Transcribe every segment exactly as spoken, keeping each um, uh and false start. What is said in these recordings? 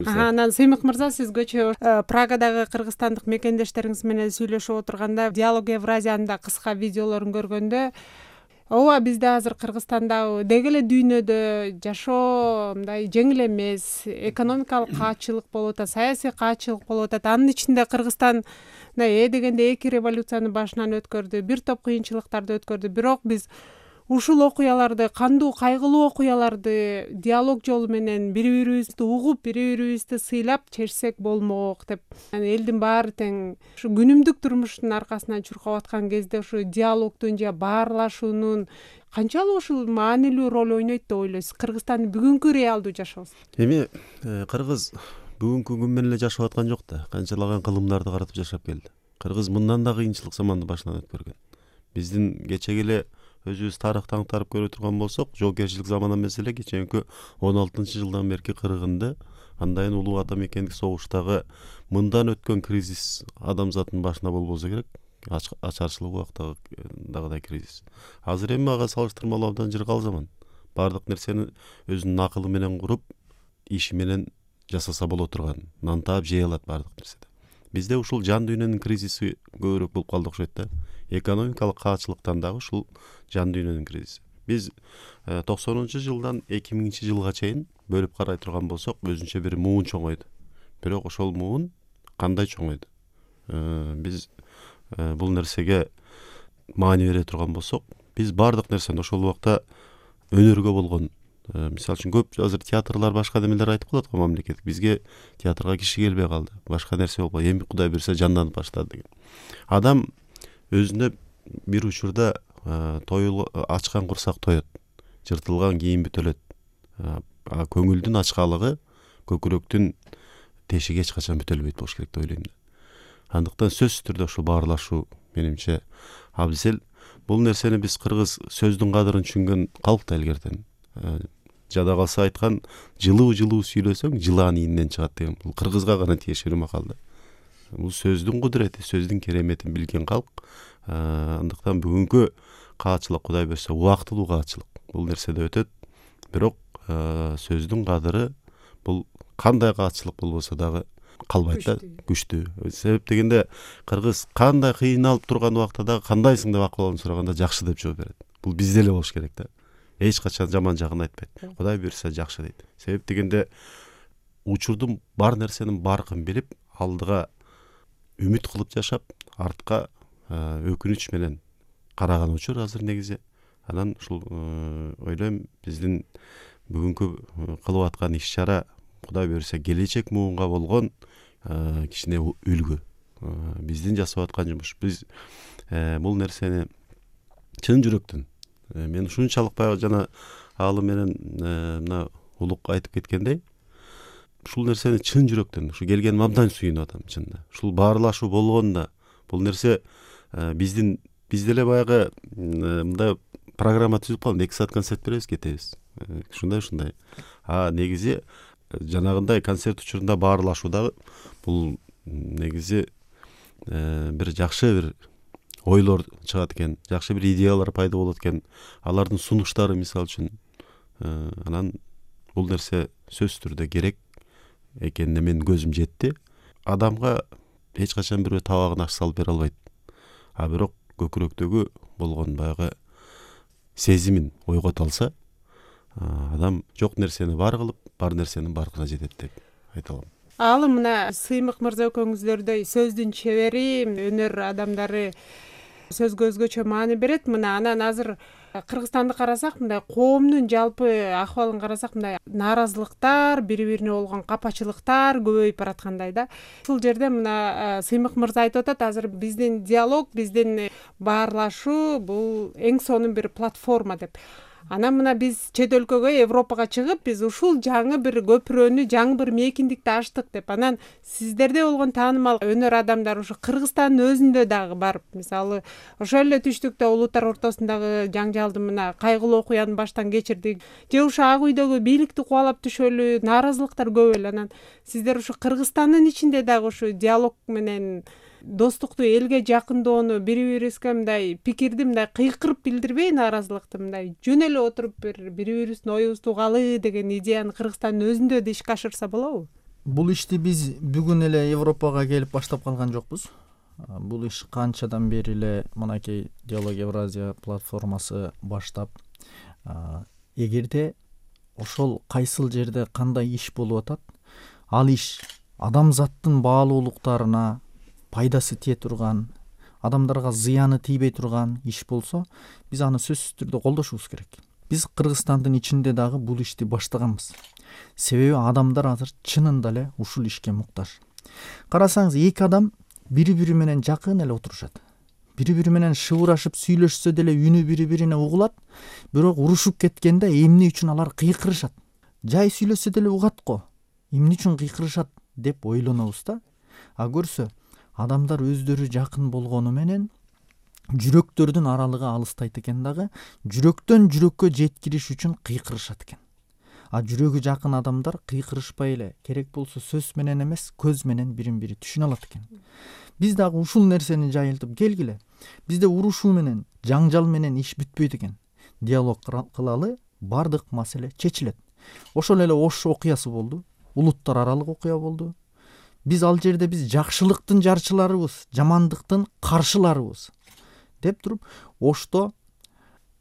буюрса. Анан Сыймык мырза, сиз көчө Прагадагы кыргызстандык мекендештериңиз менен сүйлөшүп отурганда Диалог Евразиянын да кыска видеолорун көргөндө, ооба бизде азыр Кыргызстанда деги эле дүйнөдө жашоо мындай жеңил эмес, экономикалык каачылык болуп атат, саясий каачылык болуп атат. Анын ичинде Кыргызстан мындай э дегенде эки революцияны башынан өткөрдү, бир топ кыйынчылыктарды өткөрдү. Бирок биз ушул окуяларды, кандуу кайгылуу окуяларды диалог жолу менен бири-бирибизди угуп, бири-бирибизди сыйлап чечсек болмок деп. Элдин баары тең ушу күнүмдүк турмуштун аркасынан чуркап аткан кезде ушу диалогдун же баарлашуунун канчалык ушул маанилүү роль ойнойт деп ойлойсуз Кыргызстандын бүгүнкү реалдуу жашоосу? Эми кыргыз бүгүнкү күн менен эле жашап аткан жок да, канчалаган кылымдарды каратып жашап келди. Кыргыз мындан да кыйынчылык заманды башынан өткөргөн. Биздин кечеги эле өзүбүз тарыхты аңтарып көрө турган болсок, жоокерчилик заман эмес эле кечээки он алтынчы жылдан берки кыргынды андайын улуу ата мекендик согуштагы мындан өткөн кризис адамзаттын башына болбосо керек. Ачарчылык убактагыдай кризис. Азыр эми ага салыштырмалуу абдан жыргал заман. Бардык нерсени өзүнүн акылы менен куруп, иши менен жасаса боло турган, нантаап жей алат бардык нерседе. Бизде ушул жан дүйнөнүн кризиси көбүрөөк болуп калды окшойт да. Экономикалык каачылыктан дагы ушул жан дүйнөнүн кризиси. Биз токсонунчу жылдан эки миңинчи жылга чейин бөлүп карай турган болсок, өзүнчө бир муун чоңойду. Бирок ошол муун кандай чоңойду? Биз бул нерсеге маани бере турган болсок, биз бардык нерсени ошол убакта өнөргө болгон, мисалы үчүн көп азыр театрлар башка немелер айтып калат го мамлекет. Бизге театрга киши келбей калды. Башка нерсе болбой, эми Кудай буйрса жанданып баштады деген. Адам өзүнө бир учурда тоюл ачкан курсак тоет, жыртылган кийим бүтөлөт. Көңүлдүн ачкалыгы көкүрөктүн тешиги эч качан бүтөлбөйт болуш керек деп ойлойм. Андыктан сөзсүз түрдө ушул баарлашуу менимче абзел. Бул нерсени биз кыргыз сөздүн кадырын түшүнгөн калк да илгертен. Жада калса айткан, жылуу-жылуу сүйлөсөң, жылаан ийинен чыгат деген. Бул кыргызга гана тиешелүү макал да. Бул сөздүн кудурети, сөздүн кереметин билген калк. Андыктан бүгүнкү каачылык Кудай буйрса убактылуу каачылык. Бул нерседе өтөт. Бирок сөздүн кадыры бул кандай каачылык болбосо дагы калбайт да, күчтүү. Себеп дегенде кыргыз кандай кыйналып турган убакта дагы кандайсың деп акыбалын сураганда жакшы деп жооп берет. Бул бизде эле болуш керек да. Эч качан жаман жагын айтпайт. Кудай буйрса жакшы дейт. Себеп дегенде учурдун бар нерсенин баркын билип, алдыга үмүт кылып жашап, артка өкүнүч менен караган учур азыр негизи. Анан ушул ойлойм, биздин бүгүнкү кылып аткан иш-чара Кудай буйрса келечек муунга болгон кичине үлгү. Биздин жасап аткан жумуш. Биз бул нерсени чын жүрөктөн, мен ушунчалык баягы жана Алы менен мына Улук айтып кеткендей, ушул нерсени чын жүрөктөн, ушу келгеним абдан сүйүнүп атам чынында. Ушул баарлашуу болгонда бул нерсе биздин бизде эле баягы мындай программа түзүп калдым, эки саат концерт беребиз, кетебиз. Ушундай ушундай. А негизи жанагындай концерт учурунда баарлашуу дагы бул негизи бир жакшы бир ойлор чыгат экен, жакшы бир идеялар пайда болот экен. Алардын сунуштары мисалы үчүн. Анан бул нерсе сөзсүз түрдө керек экенине мен көзүм жетти. Адамга эч качан бирөө табагын аш салып бере албайт. А бирок көкүрөктөгү болгон баягы сезимин ойгото алса, адам жок нерсени бар кылып, бар нерсенин баркына жетет деп айта алам. Ал мына Сыймык мырза экөөңүздөрдөй сөздүн чебери, өнөр адамдары сөзгө өзгөчө маани берет. Мына анан азыр Кыргызстанды карасак, мындай коомдун жалпы акыбалын карасак, мындай нааразылыктар, бири-бирине болгон капачылыктар көбөйүп бараткандай да. Ушул жерде мына Сыймык мырза айтып атат, азыр биздин диалог, биздин баарлашуу бул эң сонун бир платформа деп. Анан мына биз чет өлкөгө, Европага чыгып, биз ушул жаңы бир көпүрөнү, жаңы бир мейкиндикти ачтык деп. Анан сиздерде болгон таанымал өнөр адамдар ушу Кыргызстандын өзүндө дагы барып, мисалы, ошол эле түштүктө улуттар ортосундагы жаңжалды мына кайгылуу окуяны баштан кечирдик. Же ушу ак үйдөгү бийликти кубалап түшөлү, нааразылыктар көп эле. Анан сиздер ушу Кыргызстандын ичинде дагы ушу диалог менен достукту, элге жакындоону, бири-бирибизге мындай пикирди мындай кыйкырып билдирбей, нааразылыкты мындай жөн эле отуруп бир бири-бирибиздин оюбузду угалы деген идеяны Кыргызстандын өзүндө да ишке ашырса болобу? бул ишти биз бүгүн эле Европага келип баштап калган жокпуз. Бул иш канчадан бери эле мынакей Диалог Евразия платформасы баштап, эгерде ошол кайсыл жерде кандай иш болуп атат, ал иш адамзаттын баалуулуктарына пайдасы тие турган, адамдарга зыяны тийбей турган иш болсо, биз аны сөзсүз түрдө колдошубуз керек. Биз Кыргызстандын ичинде дагы бул ишти баштаганбыз. Себеби адамдар азыр чынында эле ушул ишке муктаж. Карасаңыз, эки адам бири-бири менен жакын эле отурушат. Бири-бири менен шыбырашып сүйлөшсө деле үнү бири-бирине угулат, бирок урушуп кеткенде эмне үчүн алар кыйкырышат? Жай сүйлөшсө деле угат го. Эмне үчүн кыйкырышат деп ойлонобуз да. А көрсө, адамдар өздөрү жакын болгону менен жүрөктөрдүн аралыгы алыстайт экен дагы, жүрөктөн жүрөккө жеткириш үчүн кыйкырышат экен. А жүрөгү жакын адамдар кыйкырышпай эле, керек болсо сөз менен эмес, көз менен бирин-бири түшүнө алат экен. Биз дагы ушул нерсени жайылтып келгиле. Бизде урушуу менен, жаңжал менен иш бүтпөйт экен. Диалог кылалы, бардык маселе чечилет. Ошол эле Ош окуясы болду, улуттар аралык окуя болду. Биз ал жерде биз жакшылыктын жарчыларыбыз, жамандыктын каршыларыбыз деп туруп, Ошто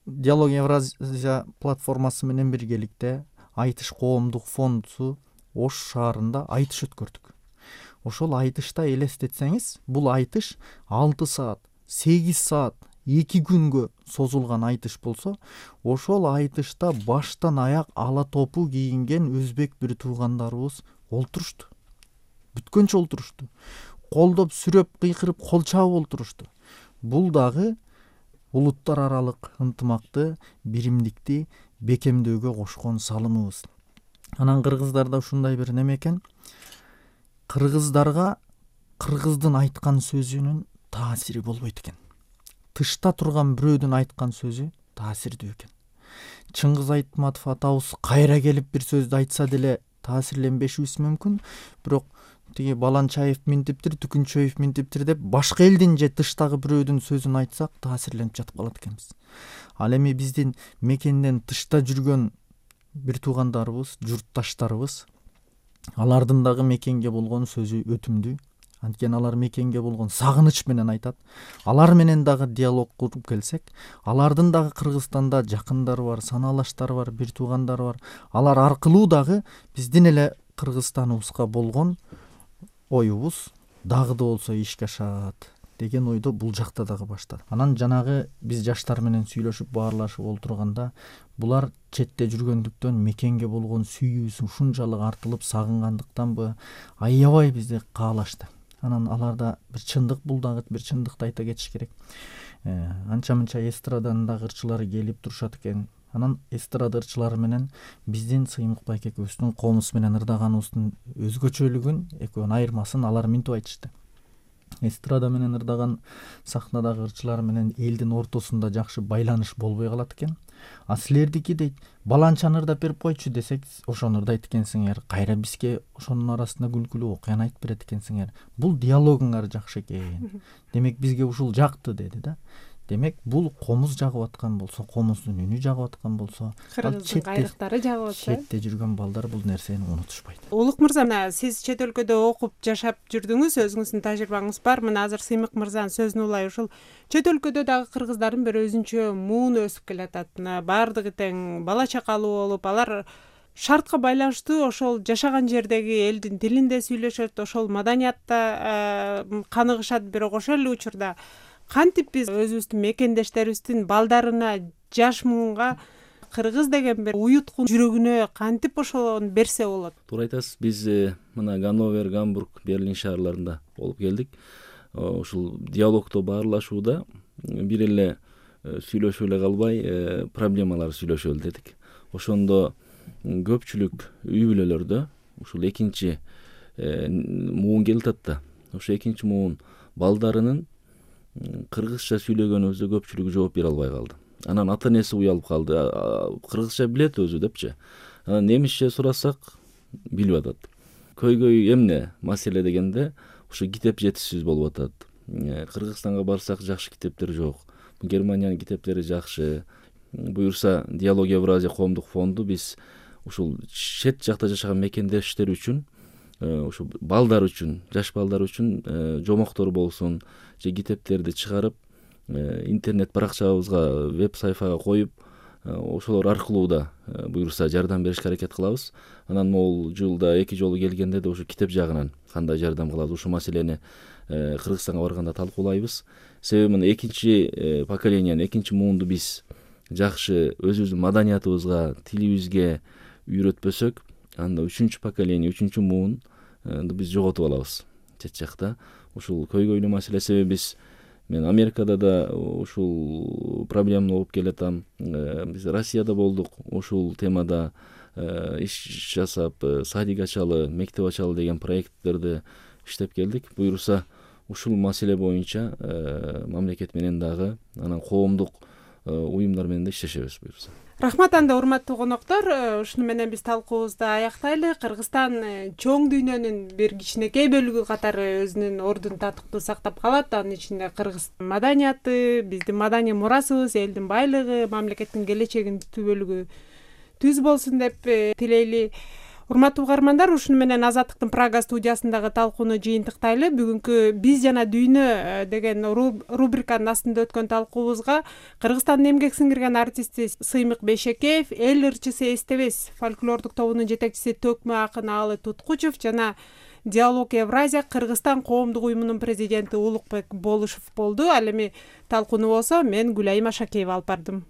Диалог Евразия платформасы менен биргеликте Айтыш коомдук фонду Ош шаарында айтыш өткөрдүк. Ошол айтышта элестетсеңиз, бул айтыш алты саат, сегиз саат, эки күнгө созулган айтыш болсо, ошол айтышта баштан аяк ала топу кийинген өзбек бир туугандарыбыз олтурушту. Бүткөнчө олтурушту. Колдоп, сүрөп, кыйкырып, кол чабып олтурушту. Бул дагы улуттар аралык ынтымакты, биримдикти бекемдөөгө кошкон салымыбыз. Анан кыргыздарда ушундай бир неме экен. Кыргыздарга кыргыздын айткан сөзүнүн таасири болбойт экен. Тышта турган бирөөдүн айткан сөзү таасирдүү экен. Чыңгыз Айтматов атабыз кайра келип бир сөздү айтса деле таасирленбешибиз мүмкүн, бирок тиги Баланчаев минтиптир, Түкүнчөев минтиптир деп башка элдин же тыштагы бирөөдүн сөзүн айтсак таасирленип жатып калат экенбиз. Ал эми биздин мекенден тышта жүргөн бир туугандарыбыз, журтташтарыбыз, алардын дагы мекенге болгон сөзү өтүмдүү. Анткени алар мекенге болгон сагыныч менен айтат. Алар менен дагы диалог куруп келсек, алардын дагы Кыргызстанда жакындары бар, санаалаштары бар, бир туугандары бар. Алар аркылуу дагы биздин эле Кыргызстаныбызга болгон оюбуз дагы да болсо ишке ашат деген ойдо бул жакта дагы баштады. Анан жанагы биз жаштар менен сүйлөшүп баарлашып олтурганда, булар четте жүргөндүктөн мекенге болгон сүйүүсү ушунчалык артылып сагынгандыктанбы, аябай бизди каалашты. Анан аларда бир чындык, бул дагы бир чындыкты айта кетиш керек. Анча-мынча эстраданын дагы ырчылары келип турушат экен. Анан эстрада ырчылары менен биздин Сыймык байке экөөбүздүн комуз менен ырдаганыбыздын өзгөчөлүгүн, экөөнүн айырмасын алар минтип айтышты. Эстрада менен ырдаган сахнадагы ырчылар менен элдин ортосунда жакшы байланыш болбой калат экен. А силердики дейт, баланчаны ырдап берип койчу десек, ошону ырдайт экенсиңер, кайра бизге ошонун арасында күлкүлүү окуяны айтып берет экенсиңер. Бул диалогуңар жакшы экен. Демек бизге ушул жакты деди да. Демек бул комуз жагып аткан болсо, комуздун үнү жагып аткан болсо, Кыргыздын кайрыктары жагып атса, четте жүргөн балдар бул нерсени унутушпайт. Улук мырза, мына сиз чет өлкөдө окуп жашап жүрдүңүз, өзүңүздүн тажрыйбаңыз бар. Мына азыр Сыймык мырзанын сөзүн улай, ушул чет өлкөдө дагы кыргыздардын бир өзүнчө муун өсүп келатат. Мына баардыгы тең бала чакалуу болуп, алар шартка байланыштуу ошол жашаган жердеги элдин тилинде сүйлөшөт, ошол маданиятта каныгышат. Бирок ошол эле учурда кантип биз өзүбүздүн мекендештерибиздин балдарына, жаш муунга кыргыз деген бир уюткун жүрөгүнө кантип ошону берсе болот? Туура айтасыз. Биз мына Ганновер, Гамбург, Берлин шаарларында болуп келдик. Ушул диалогдо баарлашууда бир эле сүйлөшүп эле калбай, проблемалар сүйлөшөлү дедик. Ошондо көпчүлүк үй бүлөлөрдө ушул экинчи муун келип атат да. Ошо экинчи муун балдарынын кыргызча сүйлөгөнүбүздө көпчүлүгү жооп бере албай калды. Анан ата энеси уялып калды. Кыргызча билет өзү депчи. Анан немисче сурасак билип атат. Көйгөй эмне маселе дегенде, ошо китеп жетишсиз болуп атат. Кыргызстанга барсак жакшы китептер жок. Германиянын китептери жакшы. Буюрса Диалог Евразия коомдук фонду биз ушул чет жакта жашаган мекендештер үчүн ушу балдар үчүн, жаш балдар үчүн жомоктор болсун же китептерди чыгарып интернет баракчабызга, веб сайфага коюп, ошолор аркылуу да буюрса жардам беришке аракет кылабыз. Анан могул жылда эки жолу келгенде да ушу китеп жагынан кандай жардам кылабыз, ушул маселени Кыргызстанга барганда талкуулайбыз. Себеби мына экинчи поколенияны, экинчи муунду биз жакшы өзүбүздүн маданиятыбызга, тилибизге үйрөтпөсөк, анда үчүнчү поколение, үчүнчү муунду биз жоготуп алабыз чет жакта. Ушул көйгөйлүү маселе. Себеби биз мен Америкада да ушул проблема болуп келатам. Биз Россияда болдук, ушул темада иш жасап, садик ачалы, мектеп ачалы деген проекттерди иштеп келдик. Буюрса ушул маселе боюнча мамлекет менен дагы, анан коомдук уюмдар менен да иштешебиз буюрса. Рахмат анда, урматтуу коноктор. Ушуну менен биз талкуубузду аяктайлы. Кыргызстан чоң дүйнөнүн бир кичинекей бөлүгү катары өзүнүн ордун татыктуу сактап калат. Анын ичинде кыргыз маданияты, биздин маданий мурасыбыз, элдин байлыгы, мамлекеттин келечегинин түтүү бөлүгү түз болсун деп тилейли. Урматтуу угармандар, ушуну менен Азаттыктын Прага студиясындагы талкууну жыйынтыктайлы. Бүгүнкү «Биз жана дүйнө» деген рубриканын астында өткөн талкуубузга Кыргызстандын эмгек сиңирген артисти Сыймык Бейшекеев, эл ырчысы Эстебес фольклордук тобунун жетекчиси Төкмө акын Аалы Туткучев жана Диалог Евразия Кыргызстан коомдук уюмунун президенти Улукбек Болушев болду. Ал эми талкууну болсо мен Гүлайым Ашакеева алып бардым.